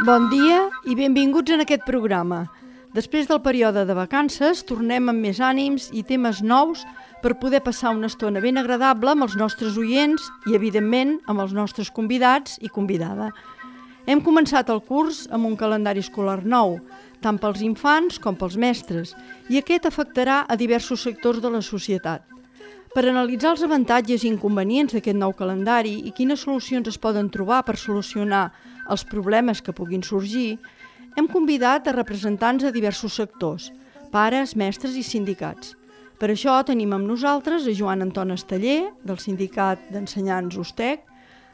Bon dia i benvinguts en aquest programa. Després del període de vacances, tornem amb més ànims i temes nous per poder passar una estona ben agradable amb els nostres oients i, evidentment, amb els nostres convidats i convidada. Hem començat el curs amb un calendari escolar nou, tant pels infants com pels mestres, i aquest afectarà a diversos sectors de la societat. Per analitzar els avantatges i inconvenients d'aquest nou calendari i quines solucions es poden trobar per solucionar els problemes que puguin sorgir, hem convidat a representants de diversos sectors, pares, mestres i sindicats. Per això tenim amb nosaltres a Joan Anton Esteller, del Sindicat d'Ensenyants USTEC,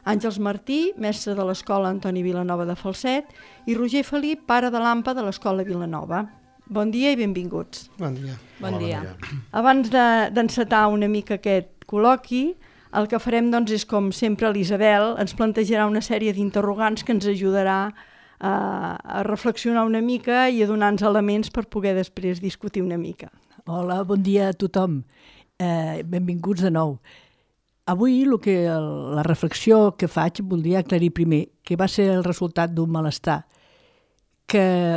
Àngels Martí, mestre de l'Escola Antoni Vilanova de Falset, i Roger Felip, pare de l'AMPA de l'Escola Vilanova. Bon dia i benvinguts. Bon dia. Bon dia. Abans d'encetar una mica aquest col·loqui, el que farem és, com sempre, l'Isabel ens plantejarà una sèrie d'interrogants que ens ajudarà a reflexionar una mica i a donar-nos elements per poder després discutir una mica. Hola, bon dia a tothom. Benvinguts de nou. Avui la reflexió que faig voldria aclarir primer que va ser el resultat d'un malestar que,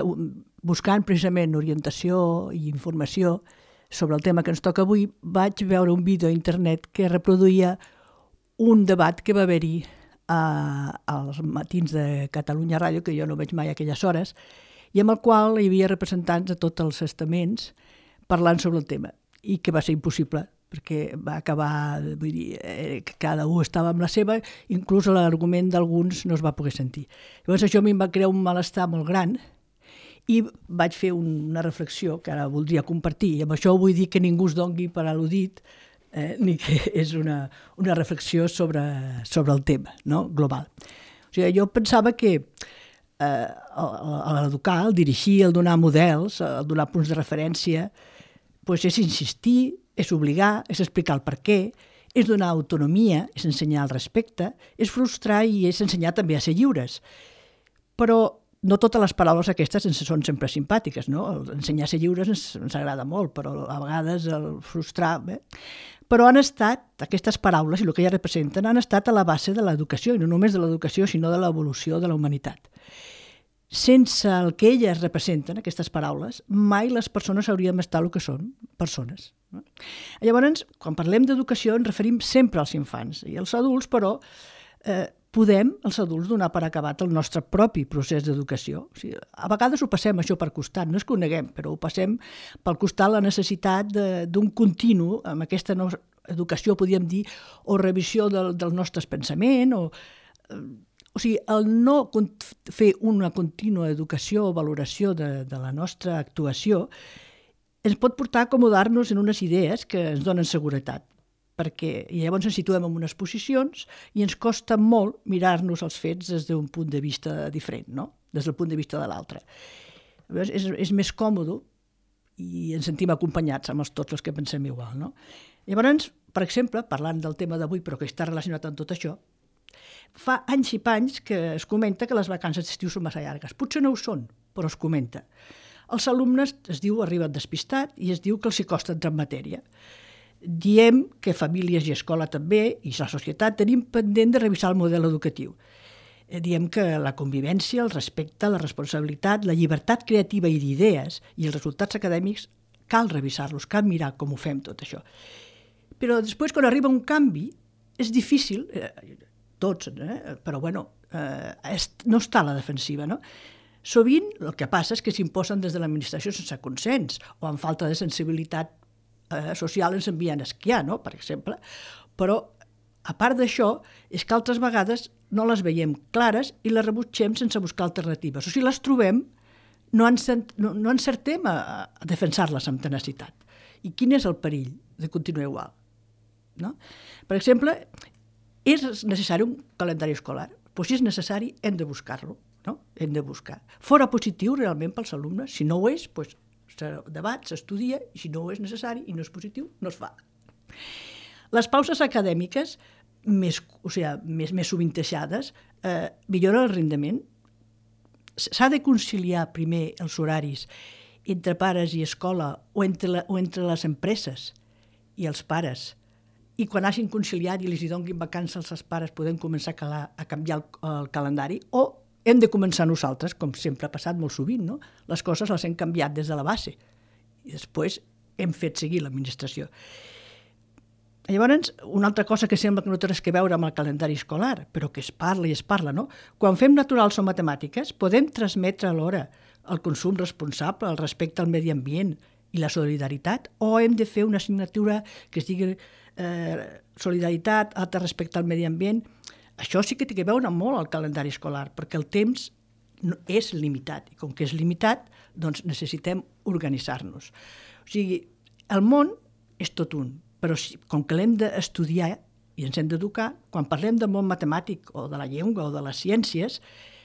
buscant precisament orientació i informació sobre el tema que ens toca avui, vaig veure un vídeo a internet que reproduïa un debat que va haver-hi als matins de Catalunya Ràdio, que jo no veig mai a aquelles hores, i amb el qual hi havia representants de tots els estaments parlant sobre el tema, i que va ser impossible, perquè va acabar, vull dir, cada un estava amb la seva, inclús l'argument d'alguns no es va poder sentir. Llavors això a mi em va crear un malestar molt gran i vaig fer una reflexió que ara voldria compartir, i amb això vull dir que ningú es dongui per al·ludit, ni que és una reflexió sobre el tema, no? Global. O sigui, jo pensava que l'educar, el dirigir, el donar models, el donar punts de referència, és insistir, és obligar, és explicar el per què, és donar autonomia, és ensenyar el respecte, és frustrar i és ensenyar també a ser lliures. Però no totes les paraules aquestes són sempre simpàtiques, no? Ensenyar a ser lliures ens agrada molt, però a vegades el frustrar... Però han estat, aquestes paraules i el que elles representen, han estat a la base de l'educació, i no només de l'educació, sinó de l'evolució de la humanitat. Sense el que elles representen, aquestes paraules, mai les persones hauríem d'estar el que són, persones. Llavors, quan parlem d'educació ens referim sempre als infants i als adults, però podem, els adults, donar per acabat el nostre propi procés d'educació. O sigui, a vegades ho passem això per costat, no és que ho neguem, però ho passem pel costat la necessitat d'un continu amb aquesta educació, podríem dir, o revisió dels nostres pensaments, o sigui, el no fer una contínua educació o valoració de la nostra actuació ens pot portar a acomodar-nos en unes idees que ens donen seguretat, perquè llavors ens situem en unes posicions i ens costa molt mirar-nos els fets des d'un punt de vista diferent, no? Des del punt de vista de l'altre. És més còmode i ens sentim acompanyats amb tots els que pensem igual, no? Llavors, per exemple, parlant del tema d'avui, però que està relacionat amb tot això, fa anys i panys que es comenta que les vacances d'estiu són massa llargues. Potser no ho són, però es comenta. Els alumnes, es diu, arriben despistats i es diu que els hi costa entrar en matèria. Diem que famílies i escola també, i la societat, tenim pendent de revisar el model educatiu. Diem que la convivència, el respecte, la responsabilitat, la llibertat creativa i d'idees i els resultats acadèmics cal revisar-los, cal mirar com ho fem tot això. Però després, quan arriba un canvi, és difícil, tots, però bueno, no està a la defensiva, no? Sovint el que passa és que s'imposen des de l'administració sense consens o amb falta de sensibilitat social ens envien a esquiar, no? Per exemple. Però, a part d'això, és que altres vegades no les veiem clares i les rebutgem sense buscar alternatives. O sigui, les trobem, no encertem a defensar-les amb tenacitat. I quin és el perill de continuar igual? No? Per exemple, és necessari un calendari escolar? Doncs si és necessari, hem de buscar-lo. No? Hem de buscar. Fora positiu realment pels alumnes. Si no ho és, doncs se debat, s'estudia, i si no és necessari i no és positiu, no es fa. Les pauses acadèmiques més sovintejades milloren el rendiment. S'ha de conciliar primer els horaris entre pares i escola o entre les empreses i els pares, i quan hagin conciliat i els donguin vacances als pares podem començar a canviar el calendari, o hem de començar nosaltres, com sempre ha passat molt sovint, no? Les coses les hem canviat des de la base i després hem fet seguir l'administració. Llavors, una altra cosa que sembla que no té res que veure amb el calendari escolar, però que es parla, no? Quan fem naturals o matemàtiques, podem transmetre alhora el consum responsable, el respecte al medi ambient i la solidaritat, o hem de fer una assignatura que es digui solidaritat, altre respecte al medi ambient? Això sí que té que veure molt al calendari escolar, perquè el temps és limitat, i com que és limitat, doncs necessitem organitzar-nos. O sigui, el món és tot un, però com que l'hem d'estudiar i ens hem d'educar, quan parlem del món matemàtic o de la llengua o de les ciències,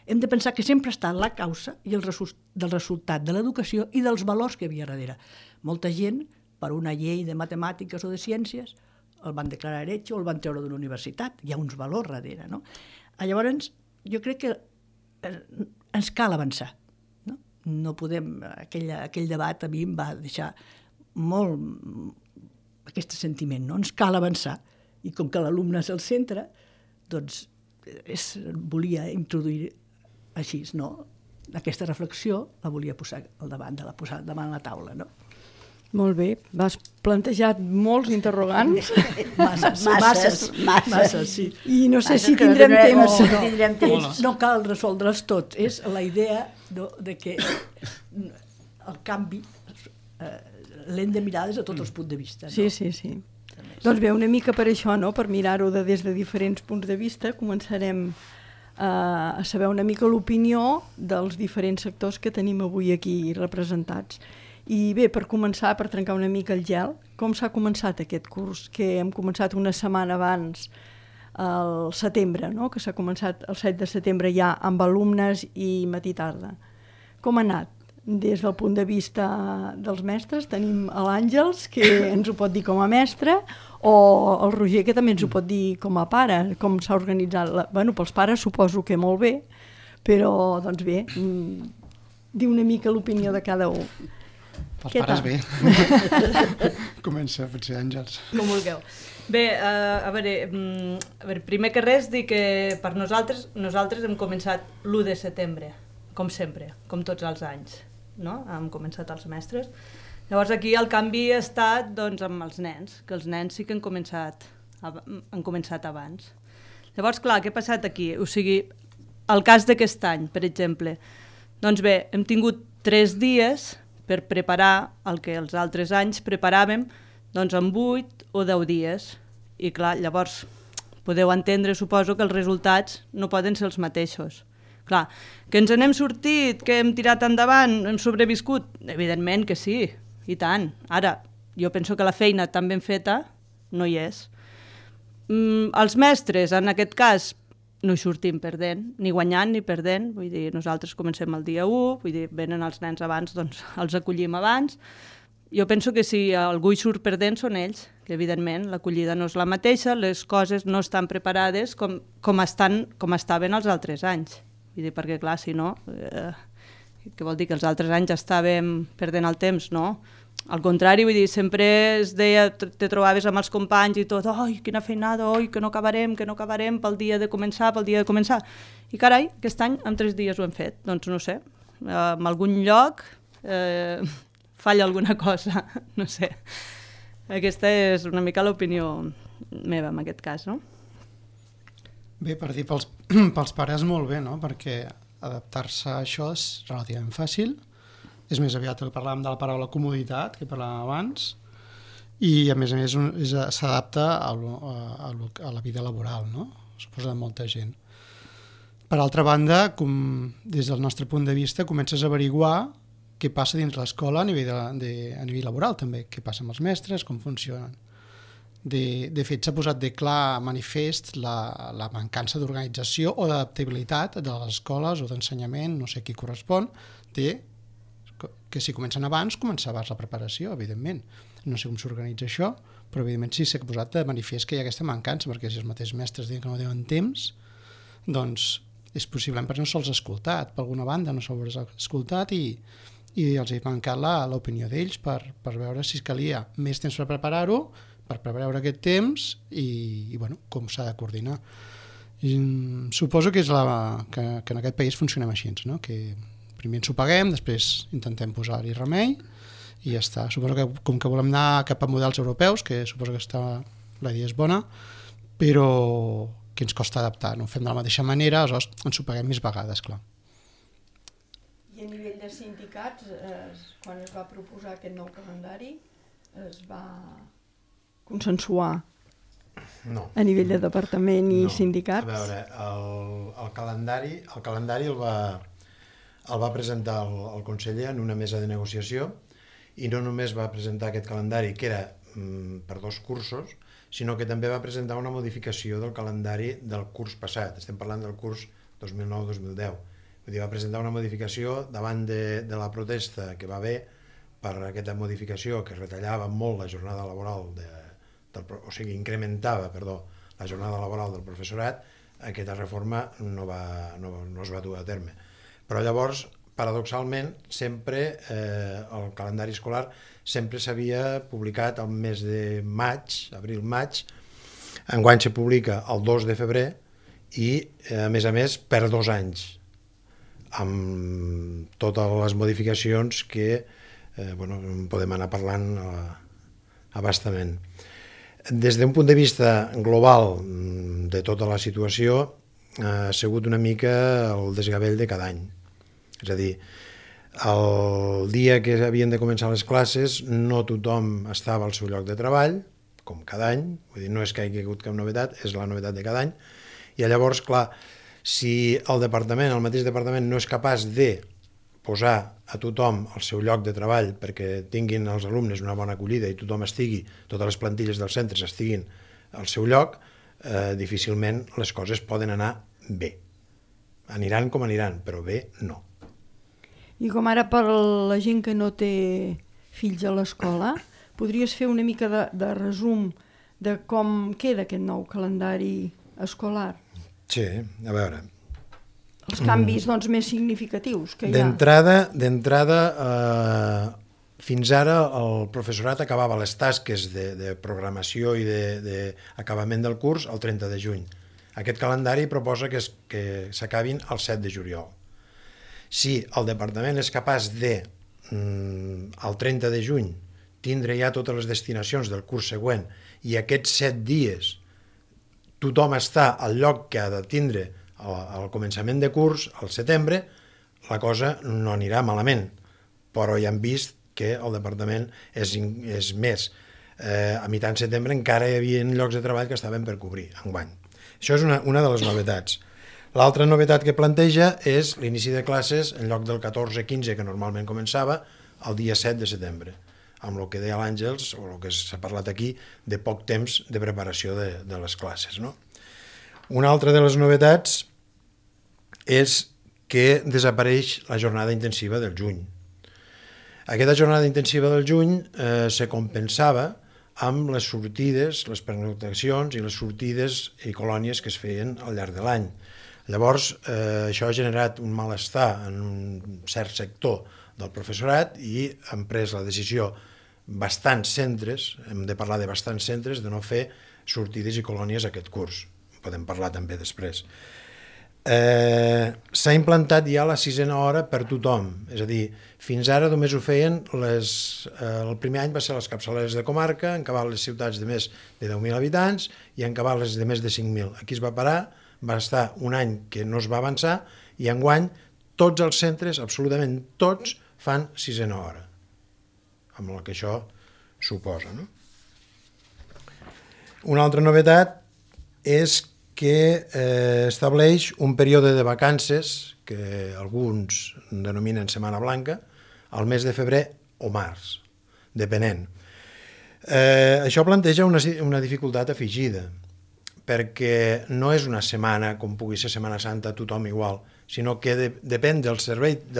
hem de pensar que sempre està la causa i el del resultat de l'educació i dels valors que hi havia darrere. Molta gent, per una llei de matemàtiques o de ciències, el van declarar heretge o el van treure d'una universitat. Hi ha uns valors darrere, no? Llavors, jo crec que ens cal avançar. No podem... Aquell debat a mi em va deixar molt aquest sentiment, no? Ens cal avançar. I com que l'alumne és el centre, doncs volia introduir així, no? Aquesta reflexió la volia posar al davant davant la taula, no? Molt bé, m'has plantejat molts interrogants. Masses, sí. I no sé si tindrem temps. No cal resoldre'ls tots. És la idea de que el canvi l'hem de mirar des de tots els punts de vista. Sí. Doncs bé, una mica per això, no? Per mirar-ho des de diferents punts de vista, començarem a saber una mica l'opinió dels diferents sectors que tenim avui aquí representats. I bé, per començar, per trencar una mica el gel, com s'ha començat aquest curs? Que hem començat una setmana abans, al setembre, no? Que s'ha començat el 7 de setembre ja amb alumnes i matí tarda. Com ha anat? Des del punt de vista dels mestres tenim l'Àngels, que ens ho pot dir com a mestre, o el Roger, que també ens ho pot dir com a pare, com s'ha organitzat. Bueno, pels pares suposo que molt bé, però doncs bé, dir una mica l'opinió de cada un. Pels pares bé. Comença, potser, Àngels. Com vulgueu. Bé, a veure, primer que res, dir que per nosaltres hem començat l'1 de setembre, com sempre, com tots els anys, no? Hem començat els mestres. Llavors aquí el canvi ha estat doncs, amb els nens, que els nens sí que han començat abans. Llavors, clar, què ha passat aquí? O sigui, el cas d'aquest any, per exemple, doncs bé, hem tingut 3 dies per preparar el que els altres anys preparàvem doncs en 8 o 10 dies. I clar, llavors podeu entendre, suposo, que els resultats no poden ser els mateixos. Clar, que ens n'hem sortit, que hem tirat endavant, hem sobreviscut? Evidentment que sí, i tant. Ara, jo penso que la feina tan ben feta no hi és. Els mestres, en aquest cas, no hi sortim perdent, ni guanyant ni perdent, vull dir, nosaltres comencem el dia 1, vull dir, venen els nens abans, doncs els acollim abans. Jo penso que si algú hi surt perdent són ells, que evidentment l'acollida no és la mateixa, les coses no estan preparades com estaven els altres anys. Vull dir, perquè clar, si no, què vol dir que els altres anys estàvem perdent el temps, no? Al contrari, vull dir, sempre es deia, te trobaves amb els companys i tot, oi, quina feinada, oi, que no acabarem pel dia de començar. I carai, aquest any en 3 dies ho hem fet. Doncs no sé, en algun lloc falla alguna cosa, no sé. Aquesta és una mica l'opinió meva en aquest cas, no? Bé, per dir pels pares molt bé, no? Perquè adaptar-se a això és relativament fàcil. És més aviat el que parlàvem de la paraula comoditat, que parlàvem abans, i a més s'adapta a la vida laboral, no? Suposa de molta gent. Per altra banda, des del nostre punt de vista, comences a averiguar què passa dins l'escola a nivell laboral també, què passa amb els mestres, com funcionen. De fet, s'ha posat de clar manifest la mancança d'organització o d'adaptabilitat de les escoles o d'ensenyament, no sé qui correspon, que si comencen abans, comença abans la preparació, evidentment. No sé com s'organitza això, però evidentment sí s'ha posat de manifest que hi ha aquesta mancança, perquè si els mateixos mestres diuen que no tenen temps, doncs és possiblement perquè no se'ls ha escoltat, per alguna banda no se'ls ha escoltat i els ha mancat l'opinió d'ells per veure si calia més temps per preparar-ho, per preveure aquest temps i bueno, com s'ha de coordinar. I, suposo que, que en aquest país funcionem així, no? Que primer ens ho paguem, després intentem posar-hi remei i ja està. Suposo que com que volem anar cap a models europeus, que suposo que la idea és bona, però que ens costa adaptar, no ho fem de la mateixa manera, aleshores ens ho paguem més vegades, clar. I a nivell de sindicats, quan es va proposar aquest nou calendari, es va consensuar a nivell de departament i sindicats? A veure, el calendari el va presentar el conseller en una mesa de negociació i no només va presentar aquest calendari, que era per 2 cursos, sinó que també va presentar una modificació del calendari del curs passat. Estem parlant del curs 2009-2010. Vull dir, va presentar una modificació davant de la protesta que va haver per aquesta modificació que retallava molt la jornada laboral, o sigui, incrementava, la jornada laboral del professorat. Aquesta reforma no es va dur a terme. Però llavors, paradoxalment, sempre el calendari escolar sempre s'havia publicat al mes de maig, abril-maig. Enguany se publica el 2 de febrer i, a més, per 2 anys, amb totes les modificacions que podem anar parlant abastament. Des d'un punt de vista global de tota la situació, ha sigut una mica el desgavell de cada any. És a dir, el dia que havien de començar les classes no tothom estava al seu lloc de treball, com cada any, vull dir, no és que hi hagi hagut cap novetat, és la novetat de cada any, i llavors, clar, si el mateix departament no és capaç de posar a tothom al seu lloc de treball perquè tinguin els alumnes una bona acollida i totes les plantilles dels centres estiguin al seu lloc, difícilment les coses poden anar bé. Aniran com aniran, però bé no. I com ara per la gent que no té fills a l'escola, podries fer una mica de resum de com queda aquest nou calendari escolar? Sí, a veure. Els canvis més significatius que hi ha. D'entrada, fins ara el professorat acabava les tasques de programació i d'acabament del curs el 30 de juny. Aquest calendari proposa que s'acabin el 7 de juliol. Si el departament és capaç de, el 30 de juny, tindre ja totes les destinacions del curs següent i aquests 7 dies tothom està al lloc que ha de tindre al començament de curs, al setembre, la cosa no anirà malament. Però ja hem vist que el departament és més. A mitjan setembre encara hi havia llocs de treball que estaven per cobrir, enguany. Això és una de les novetats. L'altra novetat que planteja és l'inici de classes en lloc del 14-15 que normalment començava el dia 7 de setembre, amb el que deia l'Àngels, o el que s'ha parlat aquí, de poc temps de preparació de les classes. No? Una altra de les novetats és que desapareix la jornada intensiva del juny. Aquesta jornada intensiva del juny se compensava amb les sortides, les pernoctacions i les sortides i colònies que es feien al llarg de l'any. Llavors, això ha generat un malestar en un cert sector del professorat i han pres la decisió bastants centres, hem de parlar de bastants centres, de no fer sortides i colònies aquest curs. Podem parlar també després. S'ha implantat ja la 6a hora per tothom, és a dir, fins ara només ho feien el primer any va ser les capçaleres de comarca, en acabar les ciutats de més de 10.000 habitants i en acabar les de més de 5.000. Aquí es va parar, va estar un any que no es va avançar i enguany tots els centres, absolutament tots, fan 6a hora, amb el que això suposa. No? Una altra novetat és que estableix un període de vacances que alguns denominen Setmana Blanca al mes de febrer o març, depenent. Això planteja una dificultat afegida, perquè no és una setmana com pugui ser Setmana Santa tothom igual, sinó que depèn del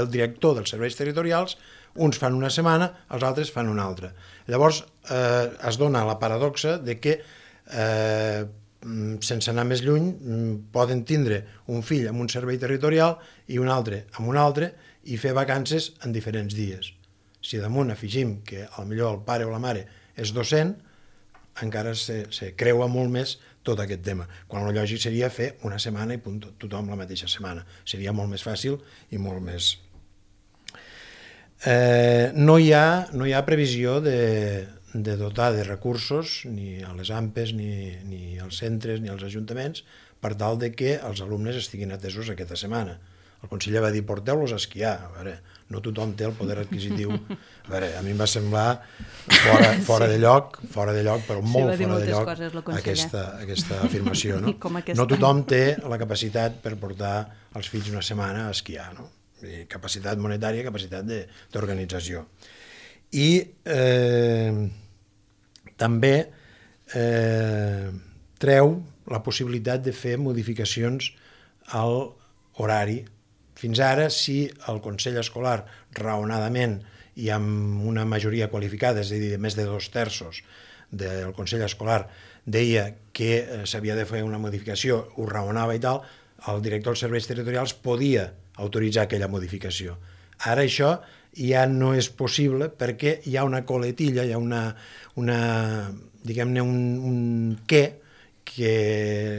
director dels serveis territorials, uns fan una setmana, els altres fan una altra. Llavors es dona la paradoxa de que sense anar més lluny poden tindre un fill amb un servei territorial i un altre amb un altre i fer vacances en diferents dies. Si damunt afegim que potser el pare o la mare és docent, encara se creua molt més tot aquest tema, quan el lògic seria fer una setmana i punt, tothom la mateixa setmana. Seria molt més fàcil i molt més... No hi ha previsió de dotar de recursos ni a les AMPEs, ni als centres, ni als ajuntaments, per tal de que els alumnes estiguin atesos aquesta setmana. El conseller va dir, porteu-los a esquiar. A veure, no tothom té el poder adquisitiu. A veure, a mi em va semblar fora de lloc, però molt fora de lloc aquesta afirmació. No? No tothom té la capacitat per portar els fills una setmana a esquiar, no? Capacitat monetària, capacitat d'organització. I també treu la possibilitat de fer modificacions al horari. Fins ara, si el Consell Escolar, raonadament i amb una majoria qualificada, és a dir, de més de 2/3 del Consell Escolar, deia que s'havia de fer una modificació, ho raonava i tal, el director dels serveis territorials podia autoritzar aquella modificació. Ara això ja no és possible perquè hi ha una coletilla, hi ha diguem-ne, un què que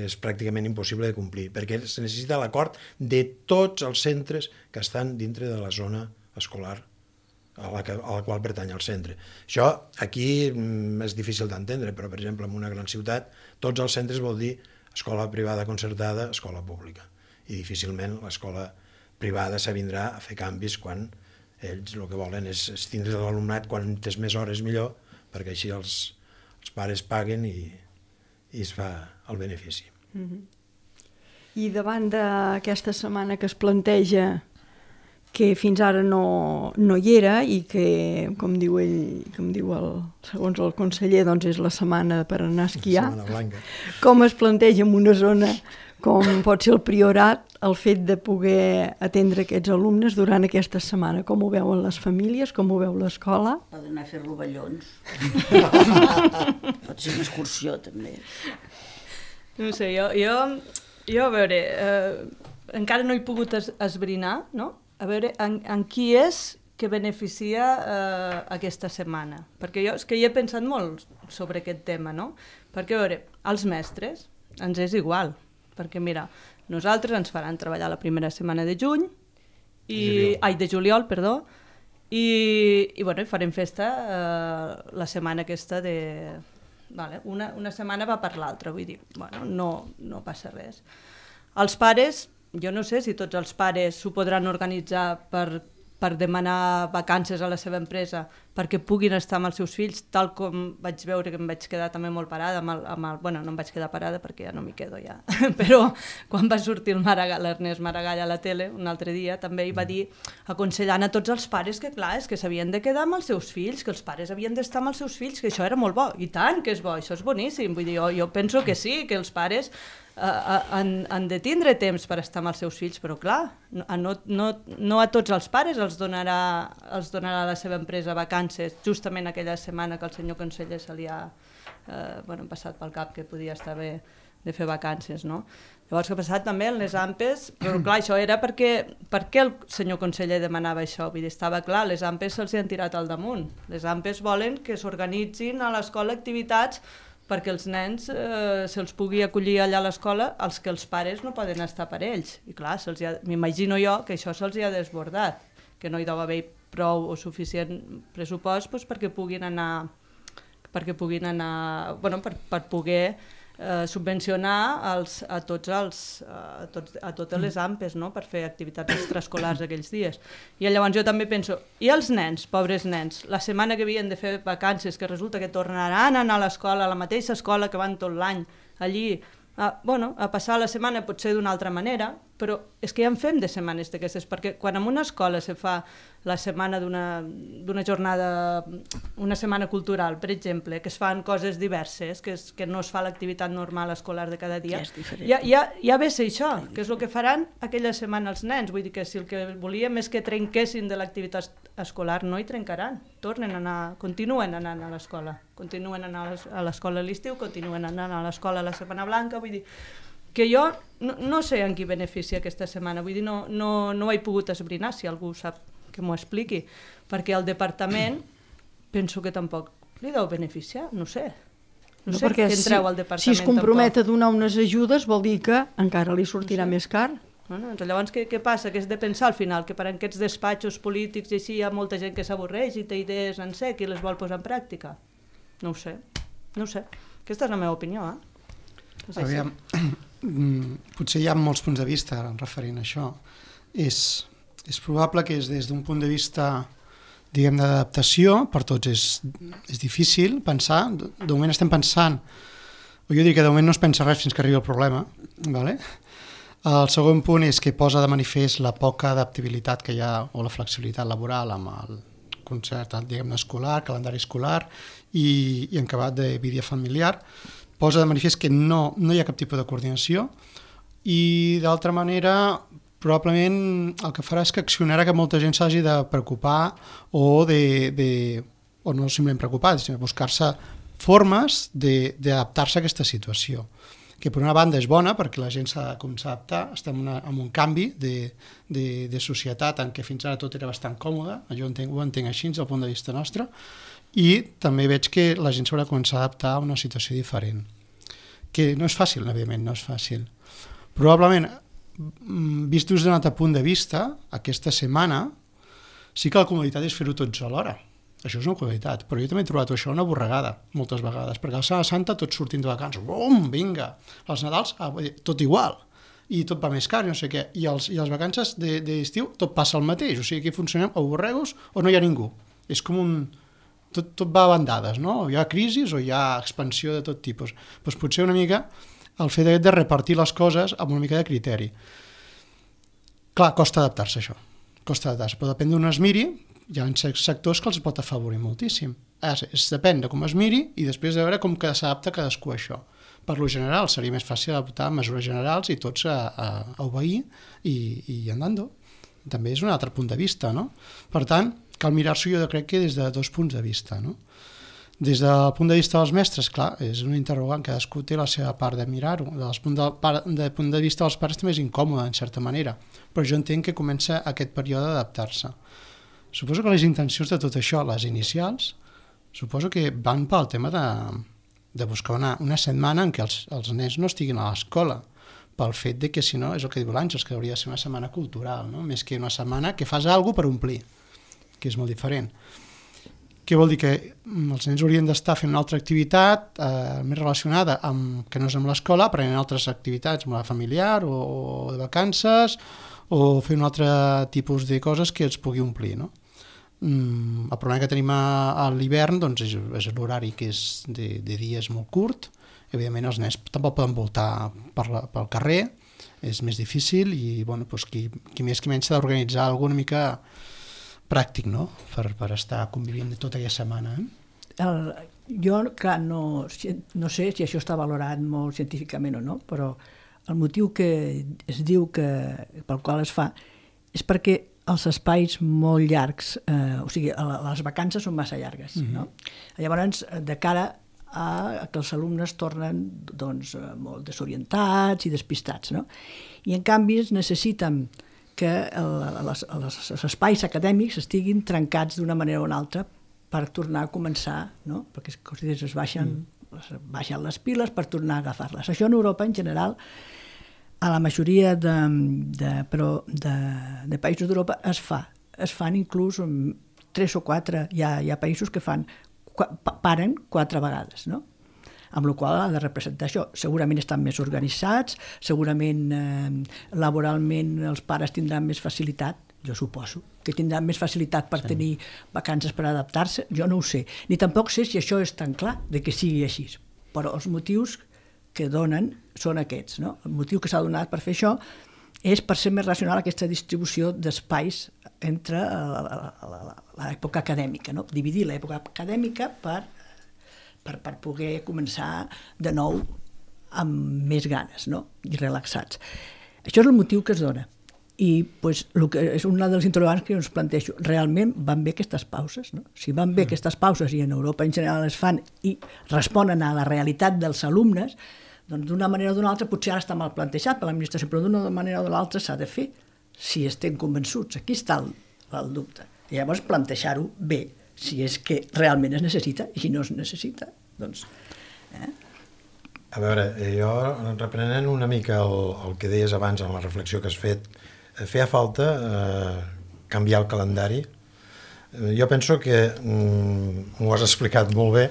és pràcticament impossible de complir, perquè es necessita l'acord de tots els centres que estan dintre de la zona escolar a la qual pertany el centre. Això aquí és difícil d'entendre, però, per exemple, en una gran ciutat, tots els centres vol dir escola privada concertada, escola pública. I difícilment l'escola privada s'avindrà a fer canvis quan ells el que volen és tindre l'alumnat quantes més hores millor, perquè així els pares paguen i es fa el benefici. I davant d'aquesta setmana que es planteja, que fins ara no hi era i que, com diu ell, segons el conseller, doncs és la setmana per anar a esquiar, com es planteja en una zona com pot ser el Priorat, el fet de poder atendre aquests alumnes durant aquesta setmana? Com ho veuen les famílies? Com ho veu l'escola? Poden anar a fer rovellons. Pot ser una excursió, també. No sé, jo a veure, encara no he pogut esbrinar, no? A veure en qui és que beneficia aquesta setmana. Perquè jo és que hi he pensat molt sobre aquest tema, no? Perquè, a veure, als mestres ens és igual. Perquè, mira, nosaltres ens faran treballar la primera setmana de juny, de juliol, perdó, i farem festa la setmana aquesta de... Una setmana va per l'altra, vull dir, no passa res. Els pares, jo no sé si tots els pares s'ho podran organitzar per demanar vacances a la seva empresa perquè puguin estar amb els seus fills, tal com vaig veure que em vaig quedar també molt parada, no em vaig quedar parada perquè ja no m'hi quedo ja, però quan va sortir l'Ernest Maragall a la tele un altre dia també hi va dir, aconsellant a tots els pares que clar, és que s'havien de quedar amb els seus fills, que els pares havien d'estar amb els seus fills, que això era molt bo, i tant que és bo, això és boníssim, vull dir, jo penso que sí, que els pares han de tindre temps per estar amb els seus fills, però clar, no a tots els pares els donarà la seva empresa vacances justament aquella setmana que el senyor conseller se li ha passat pel cap que podia estar bé de fer vacances, no? Llavors que ha passat també en les AMPEs, però clar, això era perquè el senyor conseller demanava això, vull dir, estava clar, les AMPEs se'ls han tirat al damunt, les AMPEs volen que s'organitzin a l'escola activitats perquè els nens se'ls pugui acollir allà a l'escola els que els pares no poden estar per ells. I clar, m'imagino jo que això se'ls ha desbordat, que no hi deu haver prou o suficient pressupost perquè puguin anar, per poder subvencionar a totes les AMPEs, no? Per fer activitats extraescolars aquells dies. I llavors jo també penso, i els nens, pobres nens, la setmana que havien de fer vacances, que resulta que tornaran a anar a l'escola, a la mateixa escola que van tot l'any, allí, a passar la setmana potser d'una altra manera, però és que ja en fem de setmanes d'aquestes, perquè quan en una escola se fa la setmana d'una jornada, una setmana cultural, per exemple, que es fan coses diverses, que no es fa l'activitat normal escolar de cada dia, ja ve a ser això, que és el que faran aquella setmana els nens. Vull dir que si el que volíem és que trenquessin de l'activitat escolar, no hi trencaran, continuen anant a l'escola, continuen anant a l'escola a l'estiu, continuen anant a l'escola a la Setmana Blanca, vull dir que jo no sé en qui beneficia aquesta setmana, vull dir, no ho he pogut esbrinar, si algú sap que m'ho expliqui, perquè el departament penso que tampoc li deu beneficiar, no sé. No sé, perquè que entreu al departament. si es compromet a donar unes ajudes vol dir que encara li sortirà més car. Bueno, doncs llavors què passa? Que és de pensar al final, que per aquests despatxos polítics i així hi ha molta gent que s'avorreix i té idees en sec i les vol posar en pràctica. No ho sé. Aquesta és la meva opinió, Aviam, potser hi ha molts punts de vista referint a això. És probable que des d'un punt de vista, diguem, d'adaptació, per tots és difícil pensar. De moment estem pensant, o jo diria que de moment no es pensa res fins que arribi el problema, ¿vale? El segon punt és que posa de manifest la poca adaptabilitat que hi ha, o la flexibilitat laboral amb el concert, diguem, escolar, calendari escolar i en acabat de vida familiar. Posa de manifest que no hi ha cap tipus de coordinació i, d'altra manera, probablement el que farà és que accionarà que molta gent s'hagi de preocupar o no simplement preocupar, sinó buscar-se formes d'adaptar-se a aquesta situació, que per una banda és bona perquè la gent s'ha de començar a adaptar. Estem en un canvi de societat en què fins ara tot era bastant còmode, jo ho entenc així des del punt de vista nostre, i també veig que la gent s'haurà de començar a adaptar a una situació diferent, que no és fàcil, evidentment, no és fàcil. Probablement, vist des d'un altre punt de vista, aquesta setmana sí que la comoditat és fer-ho tots alhora. Això és una comoditat, però jo també he trobat això una borregada, moltes vegades, perquè a la Setmana Santa tots sortint de vacances, bum, vinga, als Nadals tot igual, i tot va més car, no sé què, i les vacances d'estiu tot passa el mateix, o sigui, aquí funcionem o borregos o no hi ha ningú. És com tot va a bandades, no? O hi ha crisis o hi ha expansió de tot tipus. Doncs potser una mica el fet de repartir les coses amb una mica de criteri. Clar, costa adaptar-se això, però depèn d'on es miri. Hi ha sectors que els pot afavorir moltíssim. Depèn de com es miri i després de veure com s'adapta cadascú a això. Per lo general seria més fàcil adaptar mesures generals i tots a obeir i andando. També és un altre punt de vista, no? Per tant, cal mirar-s'ho jo crec que des de dos punts de vista, no? Des del punt de vista dels mestres, clar, és un interrogant, cadascú té la seva part de mirar-ho. Del punt de vista dels pares també és incòmode, en certa manera, però jo entenc que comença aquest període d'adaptar-se. Suposo que les intencions de tot això, les inicials, suposo que van pel tema de buscar una setmana en què els nens no estiguin a l'escola, pel fet de que, si no, és el que diu l'Àngels, que hauria de ser una setmana cultural, no? Més que una setmana que fas alguna cosa per omplir, que és molt diferent. Què vol dir? Que els nens haurien d'estar fent una altra activitat més relacionada que no és amb l'escola, aprenent altres activitats amb la familiar o de vacances, o fer un altre tipus de coses que els pugui omplir, no? El problema que tenim a l'hivern doncs, és l'horari que és de dies molt curt. Evidentment els nens tampoc poden voltar pel carrer, és més difícil i bueno, doncs, qui més qui menys s'ha d'organitzar alguna mica pràctic, no? Per estar convivint tota aquella setmana. Jo, clar, no sé si això està valorat molt científicament o no, però el motiu que es diu pel qual es fa és perquè els espais molt llargs, o sigui, les vacances són massa llargues, no? Llavors, de cara a que els alumnes tornen doncs, molt desorientats i despistats, no? I en canvi es necessiten que els espais acadèmics estiguin trencats d'una manera o una altra per tornar a començar, no? Perquè es baixen les piles per tornar a agafar-les. Això en Europa, en general, a la majoria de països d'Europa es fan inclús 3 o 4, hi ha països que paren 4 vegades, no? Amb la qual cosa ha de representar això. Segurament estan més organitzats, segurament laboralment els pares tindran més facilitat, jo suposo, que tindran més facilitat per tenir vacances per adaptar-se, jo no ho sé. Ni tampoc sé si això és tan clar de que sigui així, però els motius que donen són aquests, no? El motiu que s'ha donat per fer això és per ser més racional aquesta distribució d'espais entre l'època acadèmica, no? Dividir l'època acadèmica per poder començar de nou amb més ganes, no? I relaxats. Això és el motiu que es dona. I pues, és una dels interrogants que jo ens plantejo. Realment van bé aquestes pauses, no? Si van bé aquestes pauses i en Europa en general es fan i responen a la realitat dels alumnes, doncs d'una manera o d'una altra potser ara està mal plantejat per l'administració, però d'una manera o de l'altra s'ha de fer si estem convençuts. Aquí està el dubte. I llavors plantejar-ho bé, si és que realment es necessita, i si no es necessita, doncs A veure, jo, reprenent una mica el que deies abans en la reflexió que has fet, feia falta canviar el calendari. Jo penso que, m'ho has explicat molt bé,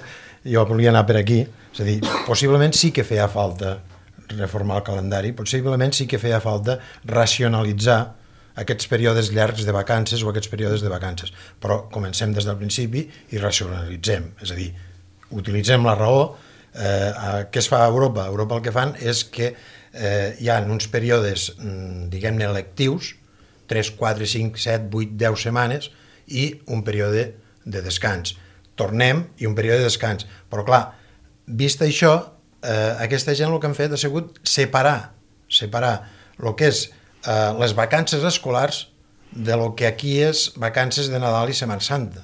jo volia anar per aquí, és a dir, possiblement sí que feia falta reformar el calendari, possiblement sí que feia falta racionalitzar aquests períodes llargs de vacances o aquests períodes de vacances, però comencem des del principi i racionalitzem, és a dir, utilitzem la raó. Què es fa a Europa? A Europa el que fan és que hi ha uns períodes, diguem-ne, lectius, 3, 4, 5, 7, 8, 10 setmanes, i un període de descans. Tornem i un període de descans. Però clar, vist això, aquesta gent el que han fet ha sigut separar el que és les vacances escolars de lo que aquí és vacances de Nadal i Setmana Santa.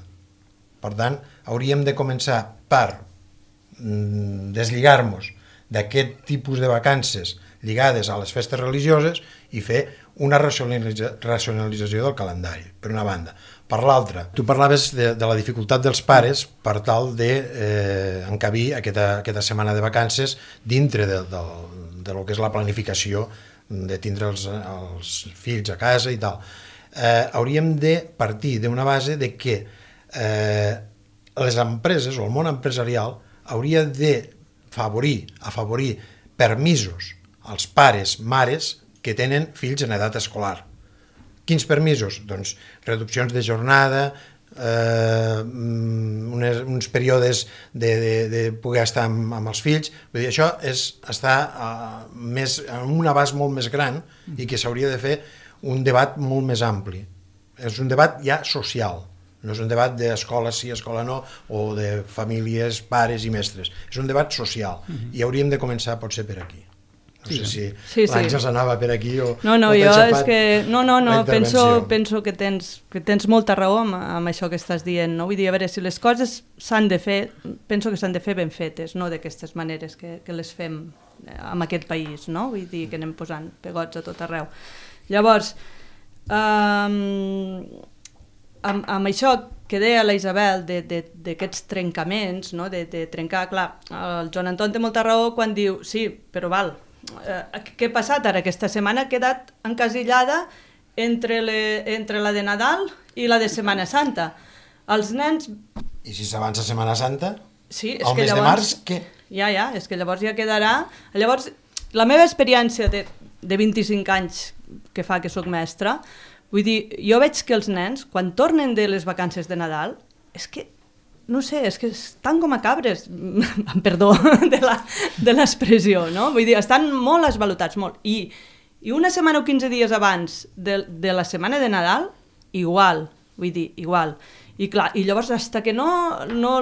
Per tant, hauríem de començar per deslligar-nos d'aquest tipus de vacances lligades a les festes religioses i fer una racionalització del calendari, per una banda. Per l'altra, tu parlaves de la dificultat dels pares per tal d'encabir aquesta setmana de vacances dintre de lo que és la planificació de tindre els fills a casa i tal. Hauríem de partir d'una base de que les empreses o el món empresarial hauria de afavorir permisos als pares, mares que tenen fills en edat escolar. Quins permisos? Doncs reduccions de jornada, uns períodes de poder estar amb els fills. Vull dir, això està en un abast molt més gran i que s'hauria de fer un debat molt més ampli. És un debat ja social. No és un debat d'escola sí, escola no, o de famílies, pares i mestres. És un debat social i hauríem de començar potser per aquí. No sé si l'Àngels anava per aquí o... No, jo és que... No, penso que tens molta raó amb això que estàs dient, no? Vull dir, a veure, si les coses s'han de fer, penso que s'han de fer ben fetes, no d'aquestes maneres que les fem en aquest país, no? Vull dir, que anem posant pegots a tot arreu. Llavors, amb això que deia la Isabel d'aquests trencaments, no? de trencar, clar, el Joan Anton té molta raó quan diu, sí, però val, què ha passat ara? Aquesta setmana ha quedat encasillada entre la de Nadal i la de Setmana Santa. Els nens... I si s'avança Setmana Santa? Sí, és el que mes de març, què? Ja, és que llavors ja quedarà... Llavors, la meva experiència de 25 anys que fa que soc mestra, vull dir, jo veig que els nens, quan tornen de les vacances de Nadal, és que, no sé, és que estan com a cabres, perdó de l'expressió, no? Vull dir, estan molt esvalotats, molt. I una setmana o 15 dies abans de la setmana de Nadal, igual, vull dir, igual. I clar, i llavors, fins que no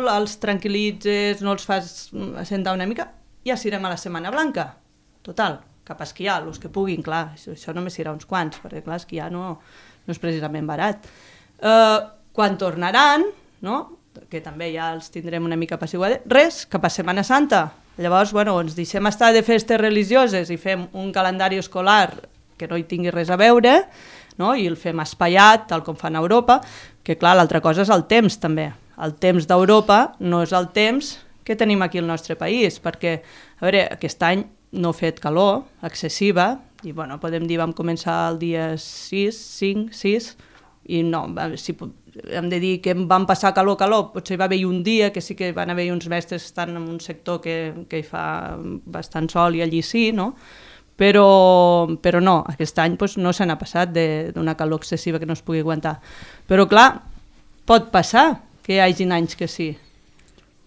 els tranquil·litzes, no els fas assentar una mica, ja s'irem a la Setmana Blanca. Total, cap a esquiar, els que puguin, clar, això només serà uns quants, perquè clar, esquiar no és precisament barat. Quan tornaran, no? Que també ja els tindrem una mica apaciguats, res, cap a Setmana Santa. Llavors, ens deixem estar de festes religioses i fem un calendari escolar que no hi tingui res a veure, no? I el fem espaiat, tal com fan a Europa, que clar, l'altra cosa és el temps també. El temps d'Europa no és el temps que tenim aquí al nostre país, perquè, a veure, aquest any no ha fet calor excessiva, i podem dir vam començar el dia 6, 5, 6, i no, si hem de dir que vam passar calor, potser va haver un dia que sí que van haver uns mestres que estan en un sector que hi fa bastant sol i allí sí, no? Però no, aquest any no se n'ha passat d'una calor excessiva que no es pugui aguantar. Però clar, pot passar que hi hagi anys que sí,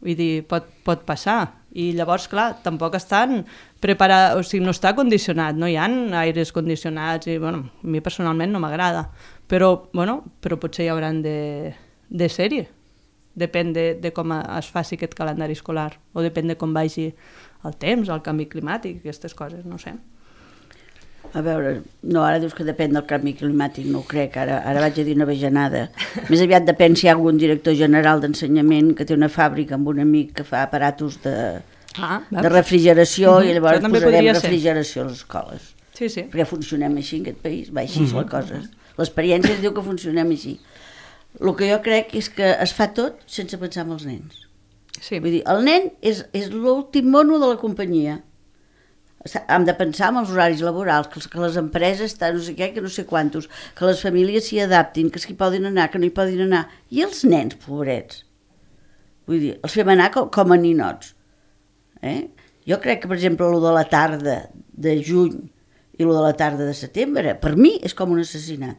vull dir, pot passar. I llavors, clar, tampoc estan preparats, o sigui, no està condicionat, no hi ha aires condicionats i, a mi personalment no m'agrada, però potser hi hauran de ser-hi. Depèn de com es faci aquest calendari escolar, o depèn de com vagi el temps, el canvi climàtic, aquestes coses, no sé. A veure, no, ara dius que depèn del canvi climàtic, no ho crec, ara vaig a dir una bajanada. Més aviat depèn si hi ha algun director general d'ensenyament que té una fàbrica amb un amic que fa aparatos de refrigeració i llavors posarem refrigeració a les escoles. Sí. Perquè funcionem així en aquest país, va així la cosa. L'experiència ens diu que funcionem així. El que jo crec és que es fa tot sense pensar en els nens. Sí. Vull dir, el nen és l'últim mono de la companyia. Hem de pensar en els horaris laborals, que les empreses estan no sé què, que no sé quantos, que les famílies s'hi adaptin, que s'hi poden anar, que no hi poden anar. I els nens, pobrets? Vull dir, els fem anar com a ninots. Jo crec que, per exemple, el de la tarda de juny i el de la tarda de setembre, per mi és com un assassinat.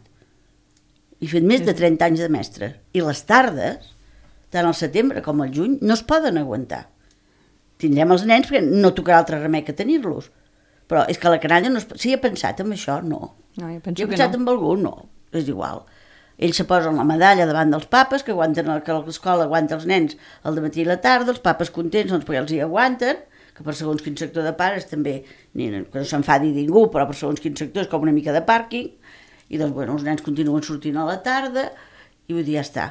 He fet més de 30 anys de mestre. I les tardes, tant al setembre com al juny, no es poden aguantar. Tindrem els nens perquè no tocarà altre remei que tenir-los. Però és que la canalla no es... Si he pensat en això, no. No, jo penso he que pensat no. en algú, no. És igual. Ells se posen la medalla davant dels papes, que aguanten que l'escola aguanta els nens el dematí i la tarda, els papes contents doncs perquè els hi aguanten, que per segons quin sector de pares també, que no s'enfadi ningú, però per segons quin sector és com una mica de pàrquing, i doncs, bueno, els nens continuen sortint a la tarda, i vull dir, ja està.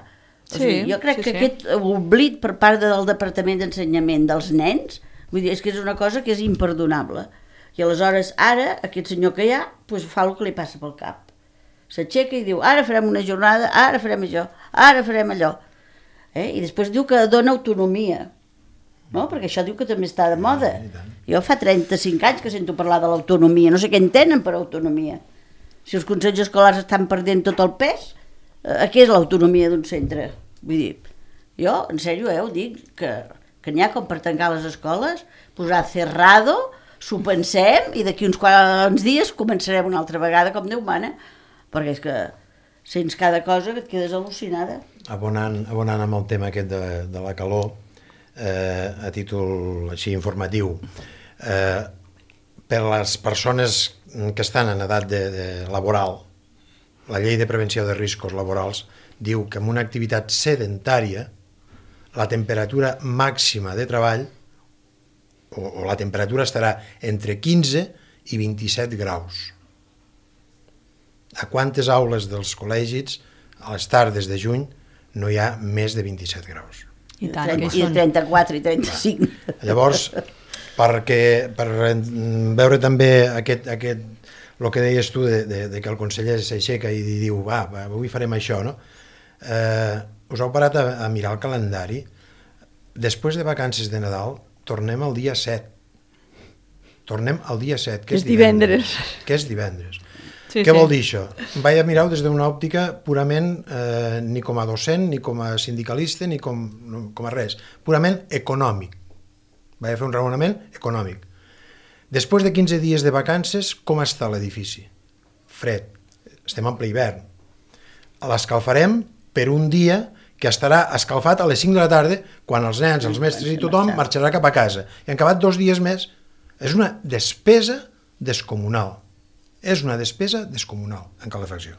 O sigui, jo crec que aquest oblit per part del Departament d'Ensenyament dels nens, vull dir, és que és una cosa que és imperdonable. I aleshores, ara, aquest senyor que hi ha, doncs fa el que li passa pel cap. S'aixeca i diu, ara farem una jornada, ara farem això, ara farem allò. I després diu que dona autonomia, no? Perquè això diu que també està de moda. Jo fa 35 anys que sento parlar de l'autonomia, no sé què entenen per autonomia. Si els consells escolars estan perdent tot el pes, què és l'autonomia d'un centre? Vull dir, jo, en sèrio, ho dic, que n'hi ha com per tancar les escoles, posar cerrado, s'ho pensem i d'aquí uns quants dies començarem una altra vegada com Déu mana, perquè és que sents cada cosa que et quedes al·lucinada. Abonant amb el tema aquest de la calor, a títol així informatiu, per les persones que estan en edat laboral, la llei de prevenció de riscos laborals diu que en una activitat sedentària la temperatura màxima de treball o la temperatura estarà entre 15 i 27 graus. A quantes aules dels col·legis a les tardes de juny no hi ha més de 27 graus? I tant, I 34 i 35. Llavors, per veure també el que deies tu de que el conseller s'aixeca i diu, va, avui farem això, no? Us heu parat a mirar el calendari? Després de vacances de Nadal tornem el dia 7. Tornem el dia 7, que és divendres. Que és divendres. Sí, Què vol dir això? Vaig a mirar-ho des d'una òptica purament, ni com a docent, ni com a sindicalista, ni com a res, purament econòmic. Vaig a fer un raonament econòmic. Després de 15 dies de vacances, com està l'edifici? Fred. Estem en ple hivern. L'escalfarem per un dia que estarà escalfat a les 5 de la tarda, quan els nens, els mestres i tothom marxarà cap a casa. I han acabat 2 dies més. És una despesa descomunal. És una despesa descomunal en calefacció.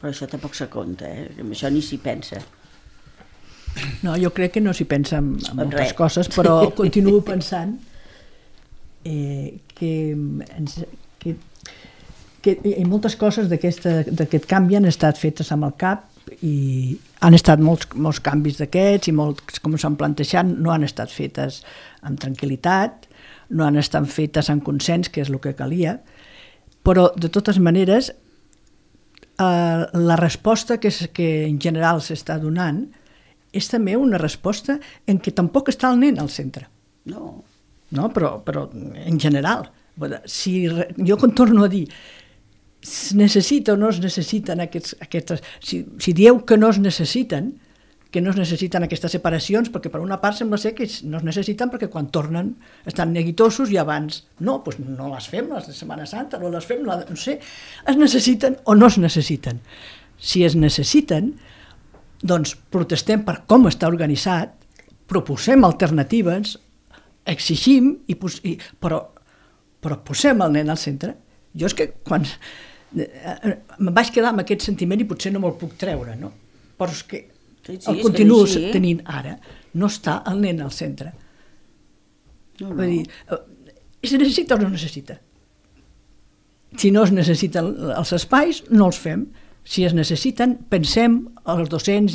Però això tampoc se compta, amb això ni s'hi pensa. No, jo crec que no s'hi pensa en moltes coses, però continuo pensant que moltes coses d'aquest canvi han estat fetes amb el cap i han estat molts canvis d'aquests i molts, com s'han plantejat, no han estat fetes amb tranquil·litat, no han estat fetes amb consens, que és el que calia, però de totes maneres la resposta que en general s'està donant és també una resposta en què tampoc està el nen al centre. No, però en general. Jo torno a dir, es necessita o no es necessiten aquestes... Si dieu que no es necessiten aquestes separacions, perquè per una part sembla ser que no es necessiten perquè quan tornen estan neguitosos i abans no les fem les de Setmana Santa, no les fem, no sé, es necessiten o no es necessiten. Si es necessiten, doncs protestem per com està organitzat, proposem alternatives, exigim, però posem el nen al centre. Jo és que quan em vaig quedar amb aquest sentiment i potser no me'l puc treure, no? Però és que el continuo tenint ara, no està el nen al centre. Vull dir, es necessita o no necessita? Si no es necessiten els espais, no els fem. Si es necessiten, pensem els docents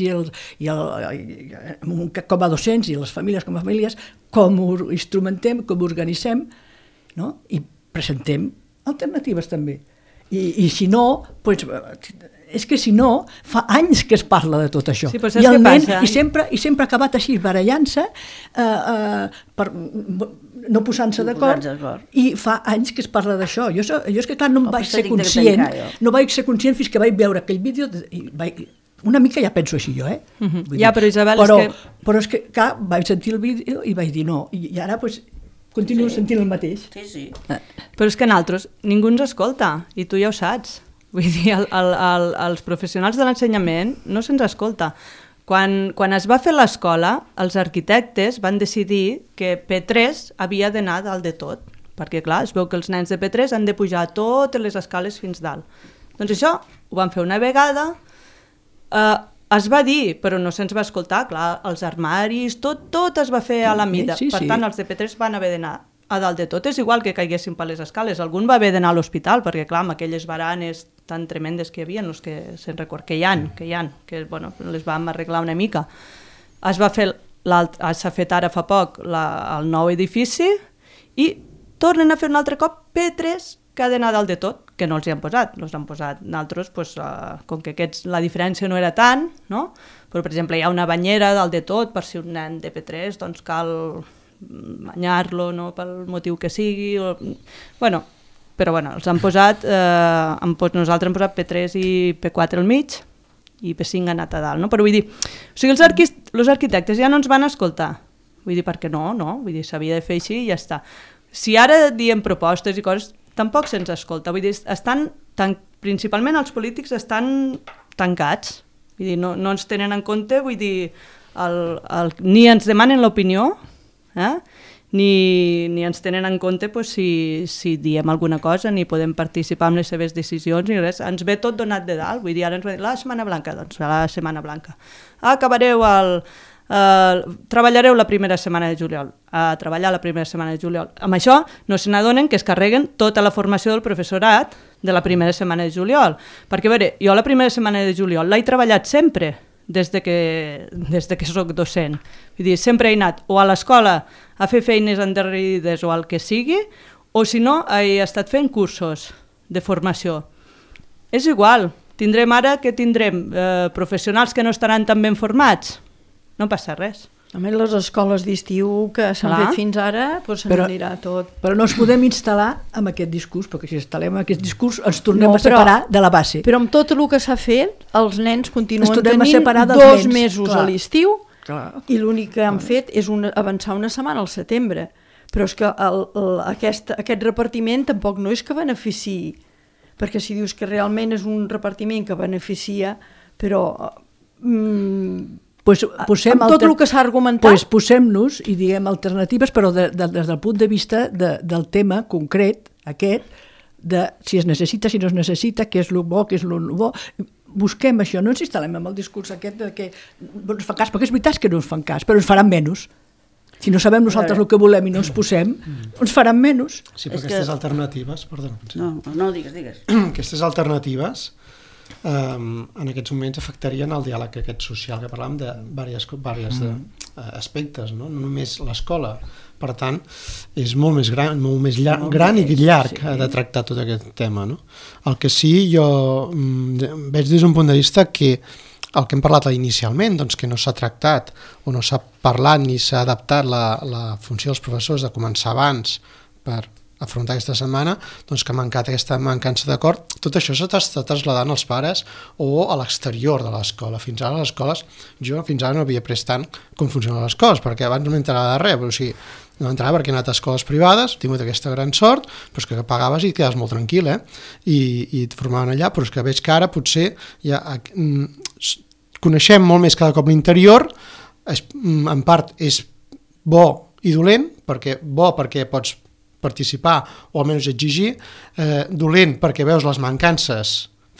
com a docents i les famílies com a famílies, com ho instrumentem, com ho organitzem, no? I presentem alternatives també. I si no, doncs, és que si no, fa anys que es parla de tot això. Sí, però I saps el què nen, passa? i sempre ha acabat així, barallant-se, no posant-se d'acord, i fa anys que es parla d'això. Jo és que, clar, no em vaig ser conscient, fins que vaig veure aquell vídeo, una mica ja penso així jo, Ja, però Isabel, però és que, clar, vaig sentir el vídeo i vaig dir no, i ara, doncs, continuo sentint el mateix. Sí. Però és que nosaltres, ningú ens escolta, i tu ja ho saps. Vull dir, els professionals de l'ensenyament no se'ns escolta. Quan es va fer l'escola, els arquitectes van decidir que P3 havia d'anar dalt de tot, perquè clar, es veu que els nens de P3 han de pujar totes les escales fins dalt. Doncs això ho van fer una vegada, es va dir, però no se'ns va escoltar, clar, els armaris, tot es va fer a la mida, per tant els de P3 van haver d'anar a dalt de tot. És igual que caiguessin per les escales, algun va haver d'anar a l'hospital, perquè clar, amb aquelles baranes tan tremendes que hi havia, no és que se'n record, que hi ha, que bueno, les vam arreglar una mica. S'ha fet ara fa poc el nou edifici i tornen a fer un altre cop P3 que ha d'anar dalt de tot, que no els hi han posat, els han posat nosaltres, com que la diferència no era tant, no? Però per exemple hi ha una banyera dalt de tot, per si un nen de P3 doncs cal banyar-lo, no? Pel motiu que sigui, però els han posat, nosaltres hem posat P3 i P4 al mig i P5 ha anat a dalt, no? Però vull dir, els arquitectes ja no ens van escoltar, vull dir, perquè no, vull dir, s'havia de fer així i ja està. Si ara diem propostes i coses, tampoc se'ns escolta, vull dir, principalment els polítics estan tancats, vull dir, no ens tenen en compte, vull dir, ni ens demanen l'opinió, ni ens tenen en compte si diem alguna cosa, ni podem participar en les seves decisions, ni res. Ens ve tot donat de dalt, vull dir, ara ens va dir la Setmana Blanca, doncs la Setmana Blanca. Treballareu la primera setmana de juliol, treballar la primera setmana de juliol. Amb això no se n'adonen que es carreguen tota la formació del professorat de la primera setmana de juliol. Perquè, a veure, jo la primera setmana de juliol l'he treballat sempre, des de que soc docent. Vull dir, sempre he anat o a l'escola a fer feines endarrerides o el que sigui, o si no, he estat fent cursos de formació. És igual, tindrem ara que tindrem professionals que no estaran tan ben formats. No passa res. A més, les escoles d'estiu que s'han fet fins ara, doncs se n'anirà tot. Però no ens podem instal·lar amb aquest discurs, perquè si instal·lem aquest discurs ens tornem a separar de la base. Però amb tot el que s'ha fet, els nens continuen tenint 2 mesos a l'estiu i l'únic que han fet és avançar una setmana al setembre. Però és que aquest repartiment tampoc no és que beneficiï, perquè si dius que realment és un repartiment que beneficia, però... amb tot el que s'ha argumentat... Posem-nos i diguem alternatives, però des del punt de vista del tema concret, aquest, de si es necessita, si no es necessita, què és el bo, què és el no bo. Busquem això, no ens instal·lem amb el discurs aquest de que no ens fa cas, perquè és veritat que no ens fan cas, però ens faran menys. Si no sabem nosaltres el que volem i no ens posem, ens faran menys. Sí, però aquestes alternatives... Perdona. No, digues. Aquestes alternatives en aquests moments afectarien el diàleg aquest social, que parlàvem de diversos aspectes, no només l'escola. Per tant, és molt més gran i llarg de tractar tot aquest tema. No? El que sí, jo veig des d'un punt de vista que el que hem parlat inicialment, doncs que no s'ha tractat o no s'ha parlat ni s'ha adaptat la funció dels professors de començar abans per afrontar aquesta setmana, doncs que ha mancat aquesta mancança d'acord. Tot això s'està traslladant als pares o a l'exterior de l'escola. Fins ara les escoles, jo fins ara no havia pres tant com funcionen les coses, perquè abans no m'entrava de res, però sí, no entrava perquè he anat a escoles privades, he tingut aquesta gran sort, però és que pagaves i et quedaves molt tranquil, i et formaven allà, però és que veig que ara potser ja coneixem molt més cada cop l'interior, en part és bo i dolent, perquè pots participar o almenys exigir, dolent perquè veus les mancances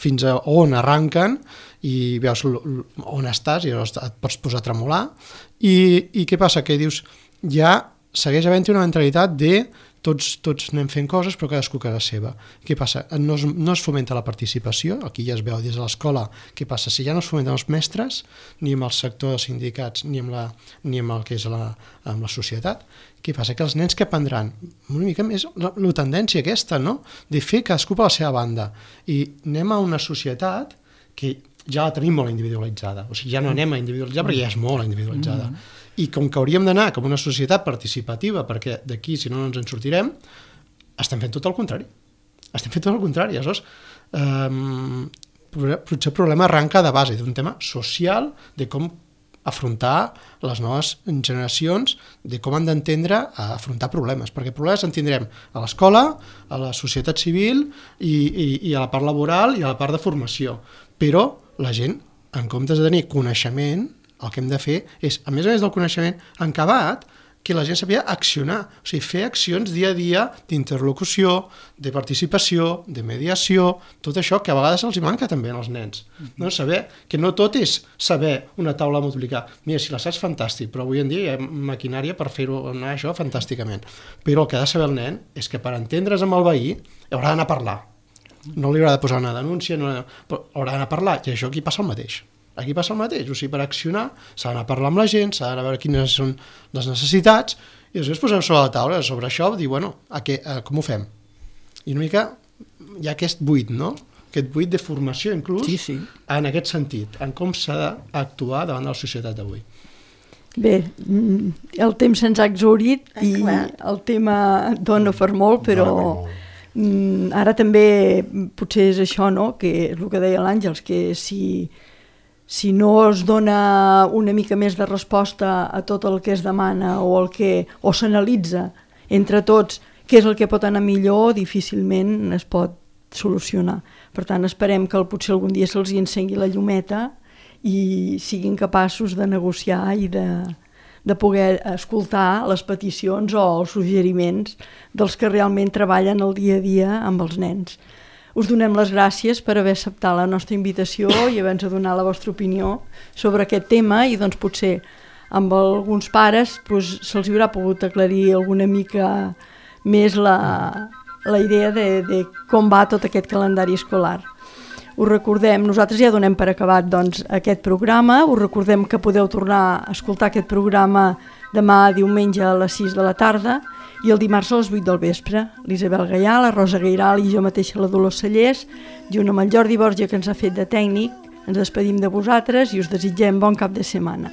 fins a on arranquen i veus on estàs i llavors et pots posar a tremolar i què passa? Que dius, ja segueix havent-hi una mentalitat de tots anem fent coses però cadascú a casa seva. Què passa? No es fomenta la participació, aquí ja es veu des de l'escola. Què passa? Si ja no es fomenten els mestres, ni amb el sector dels sindicats, ni amb el que és amb la societat, què passa? Que els nens que aprendran una mica més la tendència aquesta, no? De fer cadascú per la seva banda. I anem a una societat que ja la tenim molt individualitzada, o sigui, ja no anem a individualitzar perquè ja és molt individualitzada. I com que hauríem d'anar com una societat participativa, perquè d'aquí, si no ens en sortirem, estem fent tot el contrari. Estem fent tot el contrari. Aleshores, potser el problema arranca de base d'un tema social, de com afrontar les noves generacions, de com han d'entendre a afrontar problemes, perquè problemes en tindrem a l'escola, a la societat civil i a la part laboral i a la part de formació. Però la gent, en comptes de tenir coneixement, el que hem de fer és, a més del coneixement acabat, que la gent sàpiga accionar, o sigui, fer accions dia a dia d'interlocució, de participació, de mediació, tot això que a vegades els hi manca també als nens. No? Saber que no tot és saber una taula a multiplicar. Mira, si la saps, fantàstic, però avui en dia hi ha maquinària per fer-ho anar això fantàsticament. Però el que ha de saber el nen és que per entendre's amb el veí haurà d'anar a parlar. No li haurà de posar una denúncia, però haurà d'anar a parlar, i això aquí passa el mateix. Aquí passa el mateix, o sigui, per accionar s'ha d'anar a parlar amb la gent, s'ha d'anar a veure quines són les necessitats i després posem sobre la taula, sobre això, dir, bueno, com ho fem? I una mica hi ha aquest buit, no? Aquest buit de formació inclús en aquest sentit, en com s'ha d'actuar davant de la societat d'avui. Bé, el temps se'ns ha exhaurit i el tema dona per molt, però ara també potser és això, no? Que és el que deia l'Àngels, que si no es dona una mica més de resposta a tot el que es demana o s'analitza entre tots què és el que pot anar millor, difícilment es pot solucionar. Per tant, esperem que potser algun dia se'ls encengui la llumeta i siguin capaços de negociar i de poder escoltar les peticions o els suggeriments dels que realment treballen el dia a dia amb els nens. Us donem les gràcies per haver acceptat la nostra invitació i haver-nos donat la vostra opinió sobre aquest tema i doncs potser amb alguns pares se'ls haurà pogut aclarir alguna mica més la idea de com va tot aquest calendari escolar. Us recordem, nosaltres ja donem per acabat doncs, aquest programa, us recordem que podeu tornar a escoltar aquest programa demà diumenge a les 6 de la tarda i el dimarts a les 8 del vespre. L'Isabel Gaià, la Rosa Gairal i jo mateixa, la Dolors Cellers, junt amb el Jordi Borja, que ens ha fet de tècnic, ens despedim de vosaltres i us desitgem bon cap de setmana.